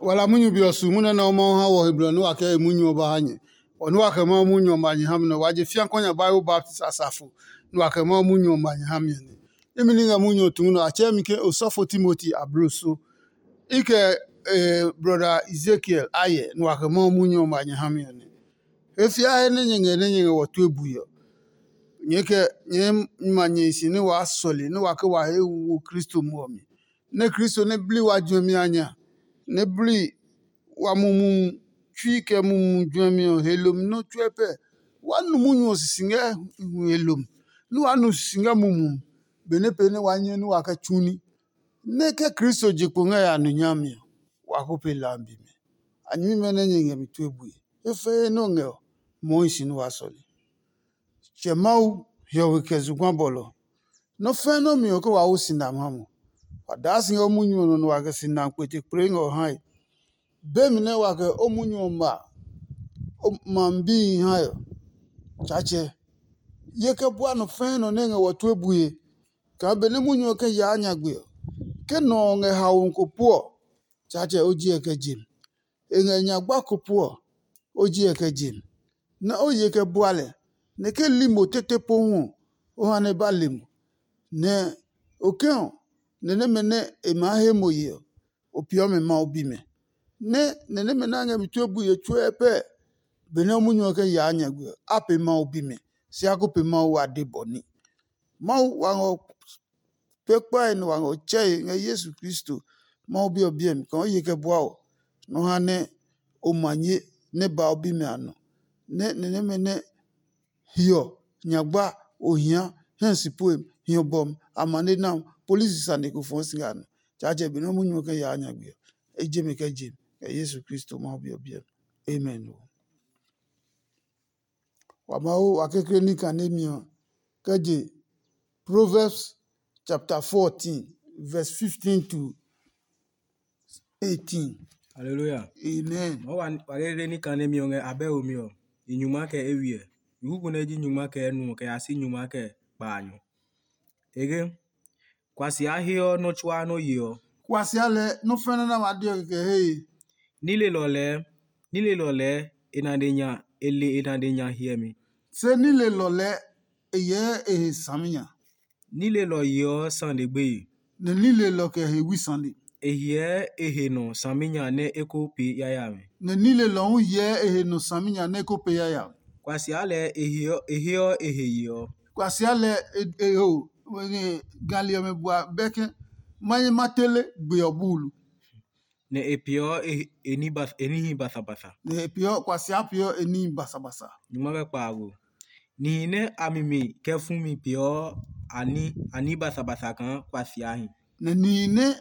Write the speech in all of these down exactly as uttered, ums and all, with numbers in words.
Wa la munyu be ɔ su munyu nɛ Mawu ha wɔ he blɔ nɛ wa kɛ e munyu ɔ ba ha nyɛ. Ɔ nɛ wa kɛ Mawu munyu ɔ ma nyɛ ha mi nɛ wa je fia kɔ nya Bible baptist asafo nɛ wa kɛ Mawu munyu ɔ ma nyɛ ha mi ɔ nɛ. Imi ni ngɛ munyu ɔ tu nɔ a tsɛɛ mi ke osɔfo Timoti abloso. I kɛ eh, brɔda Ezekiel ayɛ nɛ wa kɛ Mawu munyu ɔ ma nyɛ ha mi ɔ nɛ. E fia he nɛ nyɛ ngɛ nɛ nyɛ ngɛ wɔ tue bui ɔ, nyɛɛ kɛ nyɛɛ ma nyɛ si nɛ waa sɔle nɛ wa ke wa he wu Kristo muɔ mi. Nɛ Kristo nɛ bli wa juɛmi a nya, nɛ bli wa mumi tsui kɛ mumi juɛmi ɔ he lomi nɔ́ tsuɛ pɛ. Wa nu munyu ɔ sisi ngɛ hu he lomi, nɛ wa nu sisi ngɛ mumi benɛ pee nɛ wa nyɛ nɛ wa kɛ tsu ní. Nɛ ke Kristo je kpo ngɛ ya nu nyami ɔ, wa ko pe lambi mi. A nyɛmimɛ nɛ nyɛ ngɛ mi tue bue. He fɛɛ nɛ o ngɛ ɔ, mɔɔ hi si nɛ wa sɔle. Tsɛ Mawu, hiɔwe kɛ zugba bɔlɔ. Nɔ́ fɛ́ nɔ́ mi ɔ ke wa wo si nam ha mo. Wa daa si ngɛ o munyu ɔ nɔ nɛ wa kɛ si nam kpete kple ngɛ ɔ hae. Be mi nɛ wa kɛ o munyu ɔ ma o ma bihi hae ɔ, Tsaatsɛ, ye kɛ bua nɔ fɛɛ nɔ nɛ ngɛ wɔ tue bue. Kaa benɛ munyu ɔ kɛ yaa nyagbe ɔ, ke nɔ ɔ ngɛ haomi ko puɔ, Tsaatsɛ o ji ɛ kɛ je mi. E ngɛ nyagba ko puɔ, o ji ɛ kɛ je mi. Nɛ o ye kɛ bua lɛ, nɛ ke li mo tete pohu ɔ, o ha nɛ ba le mo. Nɛ okɛ ɔ, nɛ nɛmɛ nɛ e maa he mo ye ɔ, o peeɔ mɛ Mawu bimɛ. Nɛ nɛ nɛmɛ nɛ a ngɛ mi tue bui he tsuɛ pɛ benɛ o munyu ɔ kɛ yaa nyagbe ɔ, a pe Mawu bimɛ, se a ko pe Mawu wa de bɔ ní. Mawu wa ngɔ kpekpae nɛ wa ngɔ tsɛe ngɛ Yesu Kristo Mawu Bi ɔ biɛ mi kaa o ye kɛ bua ɔ, nɔ ha nɛ o ma nye nɛ ba o bimɛ a nɔ, nɛ ni nɛmɛ nɛ hiɔ, nyagba, ohia, hɛ si puem, hiɔ bɔmi, amane nam, polisi sane ko fɔɔ si ngɛ a nɔ. Tsaatsɛ be nɛ o munyu ɔ kɛ yaa nyagbe ɔ, e je mi kɛ je mi kɛ Yesu Kristo Mawu Bi ɔ biɛ mi. Amen. Wa Mawu wa kekle ní kanemi ɔ kɛ je Proverbs chapter fourteen, verse fifteen to eighteen. Hallelujah. Amen. Wa wa wa kekle ní kanemi ɔ ngɛ abɛ omi ɔ, i nyuma kɛ ewiɛ. I kuku nɛ ji nyuma kɛ enu ɔ kɛ ya si nyuma kɛ kpaanyɔ. Ege, kwasi a heɔ nɔ́ tsuaa nɔ́ yeɔ. Kuasia lɛ nɔ́ fɛnɛ nɛ wa deɔ kɛkɛ hee. Nilelɔ lɛɛ, nilelɔ lɛɛ e nane nya e le e nane nya hiɛmi. Se nilelɔ lɛɛ e hyɛɛ e he saminya. Nilelɔ yeɔ sane gbeye. Nɛ nilelɔ kɛ he wi sane. E hyɛɛ e he nɔ saminya nɛ e ko pee yayami. Nɛ nilelɔ hu hyɛɛ e he nɔ saminya nɛ e ko pee yayami. Kwasia lɛɛ e heɔ e heɔ e he yeɔ. Kwasia lɛ e e ho e, gali ɔmɛ bua bɛkɛ manye ma tele gbe ɔ buulu. Nɛ e peeɔ e e ní ba e níhi basabasa. Nɛ e peeɔ kwasia peeɔ e níhi basabasa. Nyuma kɛ kpaago. Nihi nɛ a mi mi kɛ fu mi peeɔ a ní a ní basabasa kaa kwasia hi. Nɛ nihi nɛ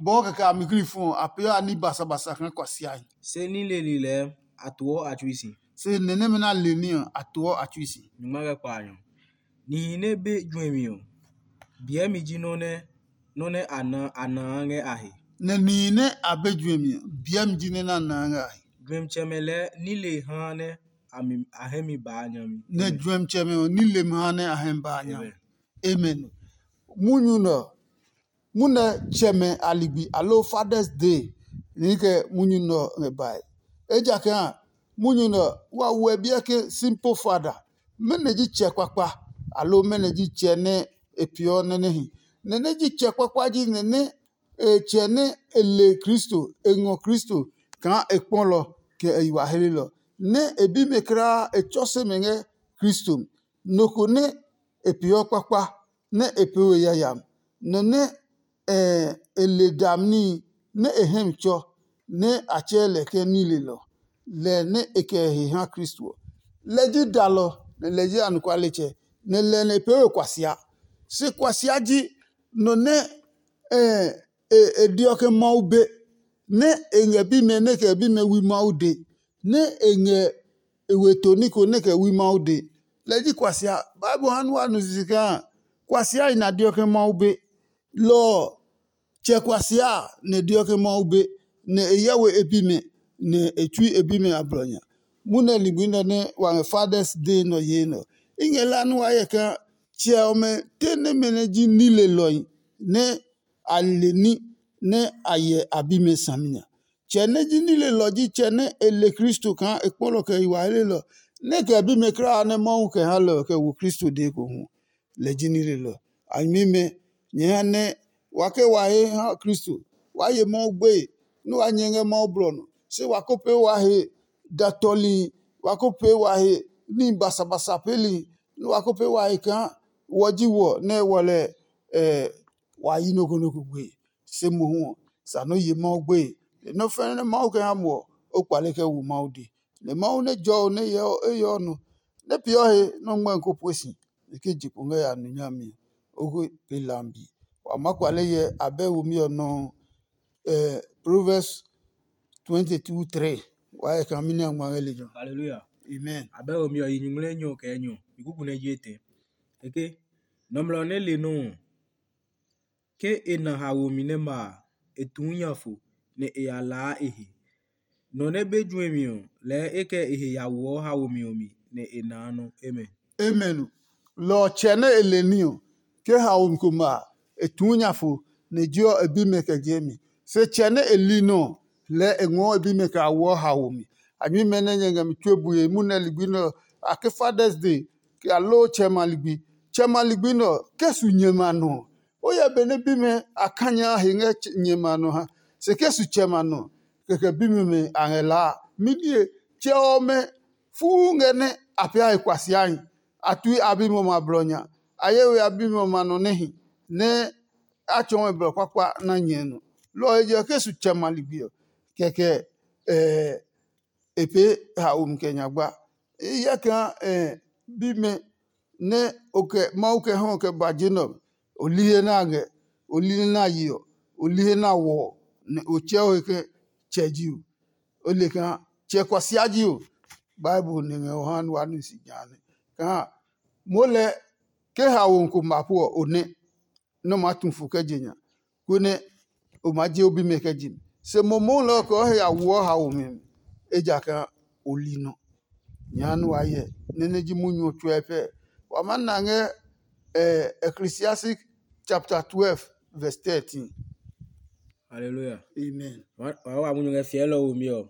bɔɔ kɛkɛ a mi kli fu ɔ, a peeɔ a ní basabasa kaa kwasia hi. Se ní leli lɛɛ a toɔ a tsui si. Se nɛ nɛmɛ nɛ a le ní ɔ, a toɔ a tsui si. Nyuma kɛ kpaanyɔ. Nihi nɛ be juɛmi ɔ, biɛmi ji nɔ́ nɛ nɔ́ nɛ a na a naa ngɛ a he. Nɛ nihi nɛ a be juɛmi ɔ, biɛmi ji nɛ nɛ a naa ngɛ a he. Juɛmitsɛmɛ lɛɛ nile haa nɛ a mi a hɛ mi baa nyami. Nɛ juɛmitsɛmɛ ɔ, nile mi haa nɛ a hɛ mi baa nyami. Amen. Munyu nɛ ɔ, munɛ tsɛmɛ a ligbi aloo Father's Day ni kɛ munyu nɛ ɔ ngɛ bae. Ejakaa munyu nɛ ɔ, wa wuɛ biɛ ke simple father. Mɛnɔ ji tsɛ kpakpa, aloo mɛnɔ ji tsɛ nɛ e peeɔ nɛ nɛ hi? Nɛ nɛ ji tsɛ kpakpa ji nɛ nɛ e tsɛ nɛ e le Kristo, e ngɔ Kristo kaa e kpɔlɔ kɛ e yi wa helelɔ, nɛ e bimɛ kulaa e tsɔ se mɛ ngɛ Kristo mi. Nɔ ko nɛ e peeɔ kpakpa nɛ e pee we yayami, nɔ nɛ e le dami níhi nɛ e hɛ mi tsɔ, nɛ a tsɛɛ lɛ ke nilelɔ, lɛ nɛ e kɛ he ha Kristo ɔ. Lɛ ji dalɔ, nɛ lɛ ji anɔkualetsɛ, nɛ lɛ nɛ e pee we kuasia. Se kuasia ji nɔ nɛ e deɔ ke Mawu be, nɛ e ngɛ bimɛ nɛ kɛ bimɛ wi Mawu de, nɛ e ngɛ e we to ní ko nɛ kɛ wi Mawu de. Lɛ ji kuasia. Bible ha nua nu sisi kaa kuasia yi na deɔ ke Mawu be. Lɔ ɔ, tsɛ kuasia a, nɛ e deɔ ke Mawu be, nɛ e hyɛ we e bimɛ, nɛ e tsui e bimɛ a blɔ nya. Munɛ ligbi nɛ nɛ wa ngɛ Father's Day nɔ yee nɛ ɔ. I ngɛ la nɛ wa hyɛ kaa tsɛ ɔmɛ te nɛmɛ nɛ ji nilelɔhi nɛ a le ní nɛ a hyɛ a bimɛ saminya. Tsɛ nɛ ji nilelɔ ji tsɛ nɛ e le Kristo kaa e kpɔ lɔ kɛ yi wa helelɔ, nɛ e kɛ bimɛ kulaa nɛ Mawu kɛ ha lɛ ɔ kɛ wo Kristo dee ko hu. Lɛ ji nilelɔ. A nyɛmimɛ, nyɛ ha nɛ wa ke wa he ha Kristo, waa ye Mawu gbeye, nɛ waa nyɛ ngɛ Mawu blɔ nɔ. Se wa ko pee wa he da tɔlihi, wa ko pee wa he ní basabasa peelihi, nɛ wa ko pee wa he kaa wɔ ji wɔ nɛ wɔ lɛ wa yi nɔ ko nɔ ko gbeye. Se mohu ɔ, sa nɔ́ ye Mawu gbeye. Nɔ́ fɛ́nɛ nɛ Mawu kɛ ha mo ɔ, o kpale kɛ wo Mawu dee. Nɛ Mawu nɛ jɔ ɔ nɛ hyɛ ɔ eyɛ ɔ nɔ, nɛ peeɔ he nɛ o ngmɛ́ ko pue si, nɛ ke je kpo ngɛ ya nu nyami ɔ, o ko pee lambi. Wa maa kpale hyɛ abɛ womi ɔ nɔuu. Proverbs twenty two three. Wa hyɛ kaa mɛni a ngma ngɛ lejɛ ɔ? Hallelujah. Amen. Abɛ womi ɔ yi nyuŋmlɛ enyɔ kɛ enyɔ, mi kuku nɛ ji etɛ. Kɛkɛ, nɔmlɔ nɛ le nɔ́ ɔ, ke e na haomi nɛ ma a, e tuu nya fo, nɛ e ya laa e he. Nɔ nɛ be juɛmi ɔ, lɛɛ e kɛ e he ya woɔ haomi ɔ mi, nɛ e naa nɔ. Amen. Amen. Lɔ ɔ tsɛ nɛ e le ní ɔ, ke haomi ko ma a, e tuu nya fo, nɛ je ɔ e bimɛ kɛ je mi. Se tsɛ nɛ e li nɔ ɔ, lɛɛ e ngɔɔ e bimɛ kɛ ya woɔ haomi. A nyuimɛ nɛ nyɛ ngɛ mi tue bue munɛ ligbi nɛ ɔ, a ke Father's Day, kɛ ya loo tsɛ ma ligbi. Tsɛ ma ligbi nɛ ɔ, ke su nyɛ ma nɔ ɔ, o hyɛ benɛ bimɛ a kanya he ngɛ nyɛ ma nɔ ha. Se ke su tsɛ ma nɔ, kɛkɛ bimɛ a ngɛ laa a. Minie tsɛ ɔmɛ fuu ngɛ nɛ a pee a he kuasiahi. A tui a bimɛ ɔmɛ a blɔ nya. A ye we a bimɛ ɔmɛ a nɔ nɛ hi, nɛ a tsɔɔ mɛ blɔ kpakpa na nyɛ nɔ. Lɔ ɔ he je ɔ, ke su tsɛ ma ligbi ɔ, kɛkɛ e pee haomi kɛ nyagba. I hyɛ kaa bimɛ nɛ o kɛ Mawu kɛ hɔ kɛ ba je nɛ ɔ, o li he nɛ a ngɛ, o li he nɛ a ye ɔ, o li he nɛ a wɔ ɔ, nɛ o tsɛ o he ke tsɛ ji o. O le kaa tsɛ kuasia ji o. Bible nɛ ngɛ o ha nɛ wa nu si jã nɛ kaa moo lɛ ke haomi ko ma po ɔ, o nɛ. Nɛ o maa tu fo kɛ je nya, konɛ o maa je o bimɛ kɛ je mi. Se momohu lɛ ɔ kɛ o he ya woɔ haomi mi, ejakaa o li nɔ. Nyɛ ha nɛ wa hyɛ nɛ nɛ ji munyu ɔ tsuɛ pɛ. Wa maa na ngɛ Ecclesiastic chapter twelve verse thirteen. Hallelujah. Amen. Wa wa wa munyu ngɛ fiɛlɔ womi ɔ.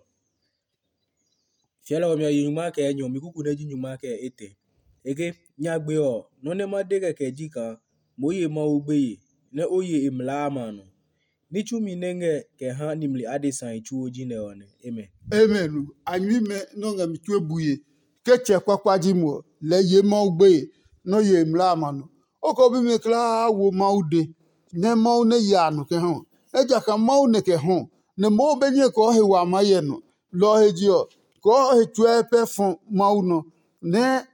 Fiɛlɔ ɔmɛ ɔ yi nyuma kɛ enyɔ, mi kuku nɛ ji nyuma kɛ etɛ. E ke, nyagbe ɔ, nɔ́ nɛ ma de kɛkɛ ji kaa moo ye Mawu gbeye, nɛ o ye e mlaa a ma a nɔ. Ní tsumi nɛ ngɛ kɛ ha nimli adesa tsuo ji nɛ ɔ nɛ. Amen. Amen. A nyuimɛ nɔ́ ngɛ mi tue bue ke tsɛ kpakpa ji mo ɔ, lɛɛ ye Mawu gbeye nɔ́ ye e mlaa a ma nɔ. O kɛ o bimɛ kulaa wo Mawu de, nɛ Mawu nɛ ya a nɔ kɛ ha ɔ. Ejakaa Mawu nɛ kɛ hɔ, nɛ moo be nyɛ kɔɔ he wa maa hyɛ nɔ. Lɔ ɔ he je ɔ, kɔɔ he tsuɛ pɛ fɔ Mawu nɔ, nɛ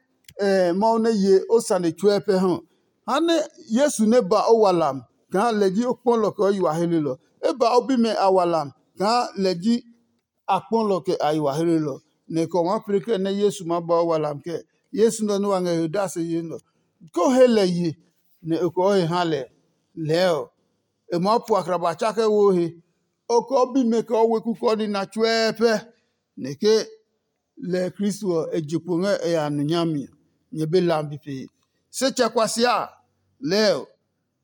Mawu nɛ ye o sane tsuɛ pɛ ha. Ha nɛ Yesu nɛ ba o walam kaa lɛ ji o kpɔlɔ kɛ o yi wa helelɔ. E ba o bimɛ a walam kaa lɛ ji a kpɔlɔ kɛ a yi wa helelɔ. Nɛ kɛ o maa pee kɛ nɛ Yesu maa ba o walam kɛ Yesu nɔ nɛ wa ngɛ he odase ye nɔ. Ko he lɛ ye, nɛ o kɔɔ he ha lɛ. Lɛɛ ɔ, e maa pu akraba tsa kɛ wo he. O kɔɔ bimɛ kɛ o weku kɔɔ nina tsuɛɛ pɛ. Nɛ ke lɛ Kristo ɔ e je kpo ngɛ e ya nu nyami ɔ, nyɛ be lambi pee. Se tsɛ kuasia a, lɛɛ ɔ,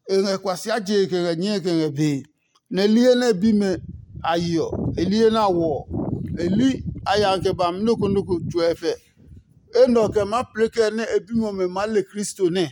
e ngɛ kuasia jee kɛ ngɛ nyɛe kɛ ngɛ bee. Nɛ e li he nɛ e bimɛ a yi ɔ, e li he nɛ a wɔ ɔ, e li a ya kɛ ba mi nɔ́ ko nɔ́ ko tsuɛ fɛ. Enɛ ɔ kɛ maa plɛ kɛ nɛ e bimɛ ɔmɛ maa le Kristo nɛ.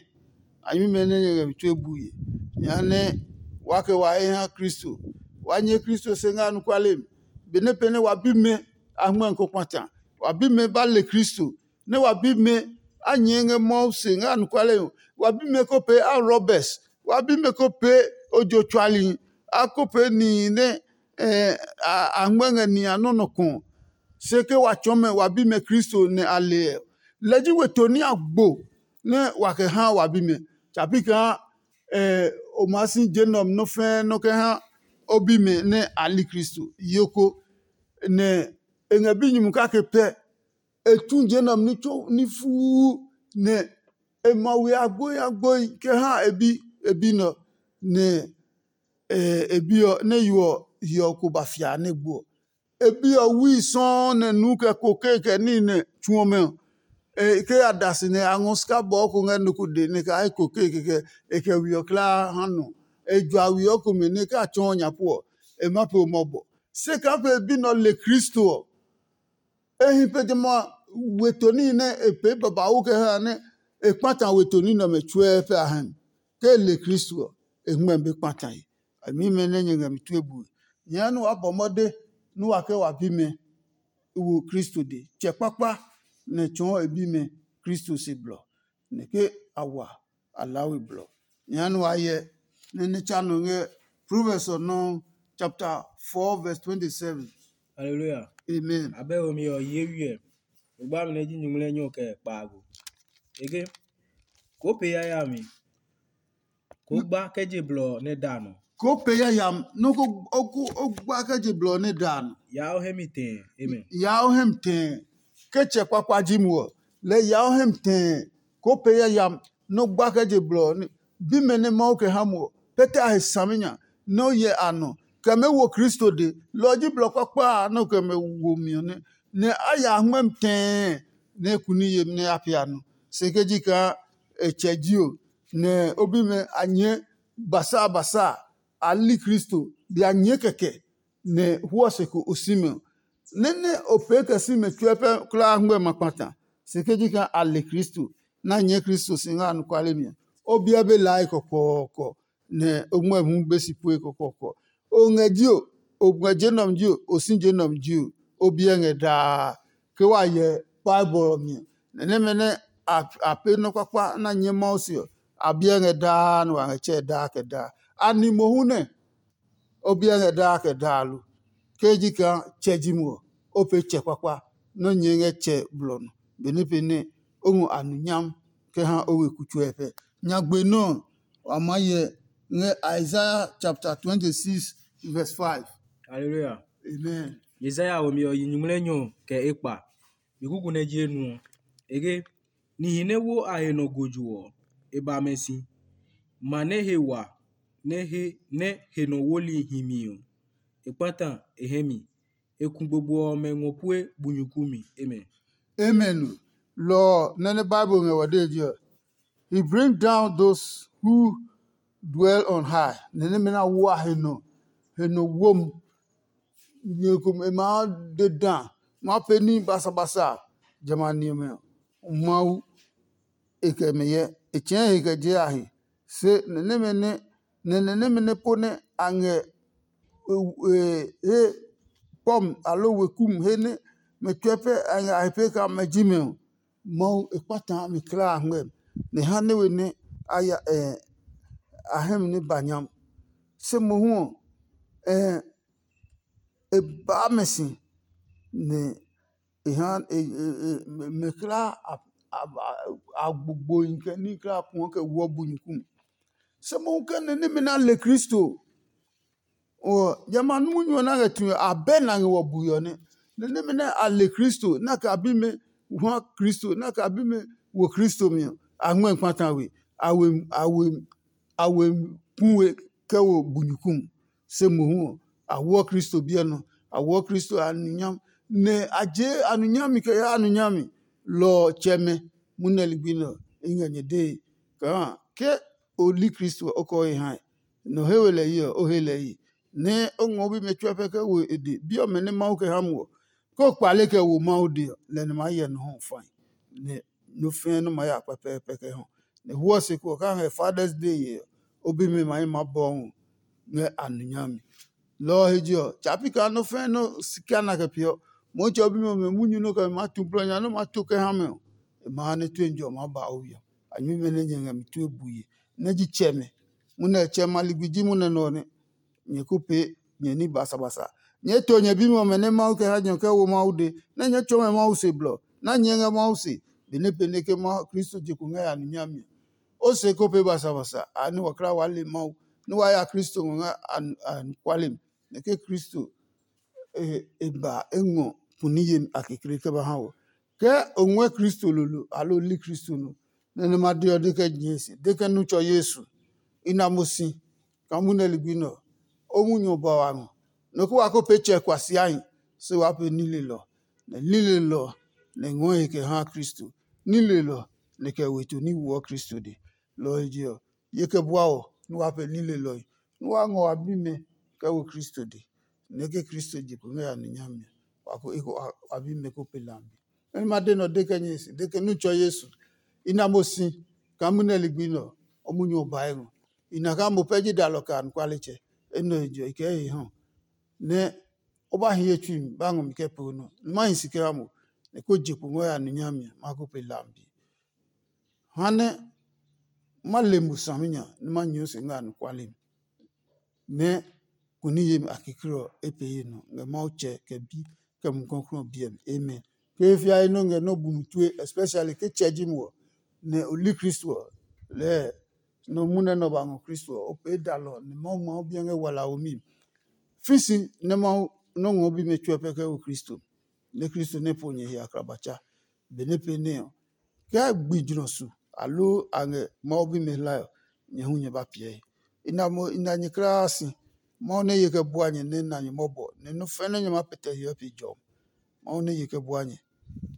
A nyuimɛ nɛ nyɛ ngɛ mi tue bue. Jehanɛ wa kɛ wa he ha Kristo. Wa nyɛ Kristo se ngɛ anɔkuale mi. Benɛ pɛ nɛ wa bimɛ a hngmɛ ko kpata. Wa bimɛ ba le Kristo. Nɛ wa bimɛ a nyɛɛ ngɛ Mawu se ngɛ anɔkuale ɔ. Wa bimɛ ko pee a robbers. Wa bimɛ ko pee ojo tsualihi. A ko pee nihi nɛ a hngmɛ ngɛ nihi a nɔ́ nɔ kɔ. Se ke wa tsɔɔ mɛ wa bimɛ Kristo nɛ a le ɛ, lɛ ji we to ní a gbo nɛ wa kɛ ha wa bimɛ. Tsa pi kaa o maa si je nɛ ɔ mi nɔ́ fɛ́ɛ́ nɔ́ kɛ ha o bimɛ nɛ a li Kristo. Yo ko, nɛ e ngɛ binyumu kake pɛ. E tu je nɛ ɔ mi ní tso ní fuu, nɛ e ma we agboi agboi kɛ ha e bi e bi nɛ ɔ, nɛ e bi ɔ nɛ yo ɔ hiɔ ko ba fia nɛ gbo ɔ. E bi ɔ wui sɔuu nɛ nu kɛ kokee kɛ níhi nɛ tsu ɔmɛ ɔ. E ke ya da si nɛ a ngɔ sika bɔɔ ko ngɛ nɔ ko dee nɛ e kɛ kokee kɛkɛ e kɛ we ɔ kulaa ha nɔ. E jua we ɔ komɛ nɛ e kɛ a tsɔɔ nya pu ɔ, e ma pe o mɔbɔ. Se kaa pe e bi nɛ ɔ le Kristo ɔ, e hi pe jamɛ a weto níhi nɛ e pee babauu kɛ ha nɛ e kpata weto ní nɛ ɔmɛ tsuɛ pɛ a hɛ mi. Ke e le Kristo ɔ, e hɛngmɛ be kpata he. Nyɛmimɛ nɛ nyɛ ngɛ mi tue bue, nyɛɛ nɛ waa bɔ mɔde nɛ wa ke wa bimɛ wo Kristo de. Tsɛ kpakpa nɛ tsɔɔ e bimɛ Kristo se blɔ, nɛ ke a wa a laa we blɔ. Nyɛɛ nɛ waa hyɛ nɛ ní tsa nɔ ngɛ Proverbs ɔ nɔuu chapter four verse twenty-seven. Hallelujah. Amen. Abɛ womi ɔ ye wiɛ. Ogbami nɛ ji nyuŋmlɛ nyɔ kɛ kpaago. Ege, koo pe yayami, koo gba kɛ je blɔ nɛ da nɔ. Koo pe yayami, nɔ́ ko o gba kɛ je blɔ nɛ da nɔ. Ya o hɛ mi tɛɛ. Amen. Ya o hɛ mi tɛɛ. Ke tsɛ kpakpa ji mo ɔ, lɛ ya o hɛ mi tɛɛ. Koo pe yayami, nɔ́ gba kɛ je blɔ ɔ nɛ bimɛ nɛ Mawu kɛ ha mo ɔ, pɛtɛ a he saminya nɛ o hyɛ a nɔ kɛ mɛ wo Kristo de. Lɔ ɔ ji blɔ kpakpa a nɛ o kɛ mɛ wo mi ɔ nɛ, nɛ a ya ngmɛmi tɛɛ nɛ e ku ní yemi nɛ a pee a nɔ. Se ke ji kaa e tsɛ ji o, nɛ o bimɛ a nyɛɛ basa basa a, a li Kristo, bia nyɛɛ kɛkɛ, nɛ huɔ se ko o si mɛ ɔ, nɛ nɛ o pee kɛ si mɛ tsuɛ pɛ kulaa ngmɛ ma kpata. Se ke ji kaa a le Kristo, nɛ a nyɛɛ Kristo si ngɛ anɔkuale mi ɔ, o biɛ be lae kɔkɔɔkɔ, nɛ o ngmɛmi hu be si pue kɔkɔɔkɔ. O ngɛ ji o, o ngɛ je nɔmi ji o, o si je nɔmi ji o, o biɛ ngɛ daa. Ke wa hyɛ Bible ɔ mi ɔ, nɛ nɛmɛ nɛ a pee nɔ́ kpakpa nɛ a nyɛ Mawu se ɔ, a biɛ ngɛ daa nɛ wa ngɛ tsɛɛ daa kɛ daa. A ni mohu nɛ o biɛ ngɛ daa kɛ daa lo? Ke ji kaa tsɛ ji mo ɔ, o pee tsɛ kpakpa nɛ o nyɛɛ ngɛ tsɛ blɔ nɔ, benɛ pee nɛ o ngɔ a nu nyam kɛ ha o weku tsuɛ pɛ. Nyagbe nɔ́ ɔ, wa maa hyɛ ngɛ Isaiah chapter twenty-six verse five. Hallelujah. Amen. Isaiah womi ɔ yi nyuŋmlɛ nyɔ kɛ ekpa. Mi kuku nɛ ji enu ɔ, e ke, nihi nɛ wo a he nɔ gojo ɔ, e ba mɛ si. Ma nɛ he wa nɛ he nɛ he nɔ woli hi mi ɔ, e kpata e hɛ mi. E ku gbogbo ɔmɛ ngɔ pue bu nyuku mi. Amen. Amen. Lɔ ɔ nɛ nɛ Bible ngɛ wɔ dee ji ɔ, he bring down those who dwell on high. Nɛ nɛmɛ na wo a he nɔ, he nɔ wom. Nyɛ komɛ e maa de da, maa pee ní basabasa jamɛ a ni ɔmɛ ɔ, Mawu e kɛ mɛ hyɛ. E tsɛɛ he kɛ je a he. Se nɛ nɛmɛ nɛ nɛ nɛ nɛmɛ nɛ po nɛ a ngɛ he pɔmi aloo weku mi he nɛ mɛ tsuɛ pɛ a ngɛ a he pee kaa mɛ ji mɛ ɔ, Mawu e kpata mi kulaa a ngmɛmi, nɛ e ha nɛ we nɛ a ya a hɛ mi nɛ ba nyami. Se mohu ɔ, e baa mɛ si, nɛ e ha mɛ kulaa a gbogbohi kɛ ní kulaa a puɔ kɛ woɔ bu nyuku mi. Se mohu kɛ nɛ nɛmɛ nɛ a le Kristo ɔ, jamɛ a munyu ɔ nɛ a ngɛ tue ɔ, abɛ nɛ a ngɛ wɔ bui ɔ nɛ. Nɛ nɛmɛ nɛ a le Kristo, nɛ a kɛ a bimɛ ha Kristo, nɛ a kɛ a bimɛ wo Kristo mi ɔ, a ngmɛ́ kpata we, a we a we a we pu we kɛ wo bu nyuku mi. Se mohu ɔ, a woɔ Kristo biɛ nɔ, a woɔ Kristo a nu nyami, nɛ a jee a nu nyami kɛ yaa a nu nyami. Lɔ ɔ tsɛmɛ, munɛ ligbi nɛ ɔ, i ngɛ nyɛ dee kaa ke o li Kristo ɔ, o kɛ o he hae. Nɔ he we lɛ yi ɔ, o he lɛ yi, nɛ o ngɔ o bimɛ tsuɛ pɛ kɛ wo e de. Bi ɔmɛ nɛ Mawu kɛ ha mo ɔ, ke o kpale kɛ wo Mawu de ɔ, lɛ nɛ maa hyɛ nɔ hu fai, nɛ nɔ́ fɛ́ɛ́ nɔ́ maa ya pɛpɛɛpɛ kɛ hɔ. Nɛ hwɔ se ko ɔ, kaa ngɛ Father's Day yee ɔ, o bimɛ ma hi maa bɔɔ ngɛ a nu nyami. Lɔ ɔ he je ɔ, tsa pi kaa nɔ́ fɛ́ɛ́ nɔ́ si kɛ a na kɛ pee ɔ, Mɔmitsɛ ɔ bimɛ ɔmɛ munyu nɔ́ kɛ mɛ maa tu blɔ nya nɔ́ maa tu kɛ ha mɛ ɔ, e ma ha nɛ tue njɔ maa ba o we ɔ. A nyume nɛ nyɛ ngɛ mi tue bui he, nɛ ji tsɛmɛ. Munɛ tsɛmɛ a ligbi ji munɛ nɛ ɔ nɛ. Nyɛ ko pee nyɛ ní basabasa. Nyɛɛ to nyɛ bimi ɔmɛ nɛ Mawu kɛ ha nyɛ kɛ wo Mawu de, nɛ nyɛɛ tsɔɔ mɛ Mawu se blɔ, nɛ a nyɛɛ ngɛ Mawu se, benɛ pee nɛ ke Kristo je kpo ngɛ a numi a mi ɔ. O se ko pee basabasa, a ní wa kla waa le Mawu, nɛ waa ya Kristo ngɔ ngɛ a anɔkuale mi, nɛ ke Kristo e ba e ngɔ kuni yemi a kekle kɛ ba ha wɔ. Ke o ngɔɛ Kristo lolo aloo o li Kristo nɔ, nɛ nɛ ma de ɔ de kɛ nyɛɛ se, de kɛ nu tsɔ Yesu, i na mo si kaa munɛ ligbi nɛ ɔ, o munyu ɔ ba wa ngɔ. Nɔ ko wa ko pee tsɛ kuasiahi, se waa pee nilelɔ, nɛ nilelɔ nɛ ngɔɔ he kɛ ha Kristo, nilelɔ nɛ kɛ weto ní woɔ Kristo de. Lɔ ɔ he je ɔ, ye kɛ bua wɔ nɛ waa pee nilelɔe, nɛ waa ngɔ wa bimɛ kɛ wo Kristo de. nɛ ke Kristo je kpo ngɛ ya nɛ nyami ɔ, wa ko eko wa bi mɛ ko pe lambi. Nɛ ma de nɔ de kɛ nyɛ si de ke nu tsɔ Yesu. I na mo si kaa munɛ ligbi nɔ ɔ munyu ɔ bae ngɔ. I na kaa mo pɛ ji dalɔ kɛ anɔkualetsɛ. Enɛ he jɔ i kɛ he hɔ nɛ o ba hi ye tsui mi ba ngɔ mi kɛ pee o nɔ. Nɛ ma hi si kɛ ha mo nɛ ko je kpo ngɔ ya nɛ nyami ɔ ma ko pe lambi. Ha nɛ ma le mo saminya nɛ ma nyɛɛ o se ngɛ anɔkuale mi. Nɛ kuni yemi a kekle ɔ e pee ye nɔ ngɛ Mawu Tsɛ kɛ Bi kɛ Mumi Klɔuklɔu ɔ biɛ mi. Amen. Ke e fia ye nɔ ngɛ nɔ́ bu mi tue, especially ke tsɛ ji mo ɔ, nɛ o li Kristo ɔ, lɛɛ nɔ munɛ nɛ o ba ngɔ Kristo ɔ, o pee dalɔ nɛ Mawu ma o biɛ ngɛ walaomi. Fi si nɛ Mawu nɔ́ ngɔ bimɛ tsuɛ pɛ kɛ wo Kristo, nɛ Kristo nɛ po nyɛ he aklabatsɛ. Benɛ pee nɛ ɔ, kɛ gbi jlɔ su aloo a ngɛ Mawu bimɛ hlae ɔ, nyɛ hu nyɛ ba piɛe. I na mo i na nyɛ kulaa si. Mawu nɛ ye kɛ bua nyɛ nɛ na nyɛ mɔbɔ nɛ nɔ́ fɛnɛ nyɛ ma pɛtɛ hiɔ pe jɔmi. Mawu nɛ ye kɛ bua nyɛ.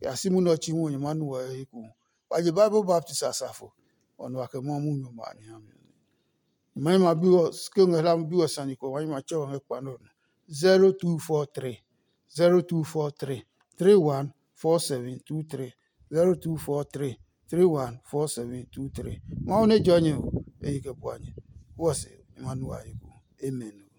Ya si munɛ ɔ chi hu nyɛ ma nu wɔ he hu. Wa je Bible baptist asafo, ɔ nɔ wa kɛ Mawu munyu ɔmɛ a ni ha mi. Nyɛmimɛ bi ɔ ke ngɛ hla bi ɔ sane kɔ wa nyɛ ma tsɛ wɔ ngɛ kpa nɔ. Zero two four three, zero two four three, three one four seven two three, zero two four three, three one four seven two three. Mawu nɛ jɔ nyɛ o, e yi kɛ bua nyɛ. Wɔ se ma nu wa yi ko. Amen.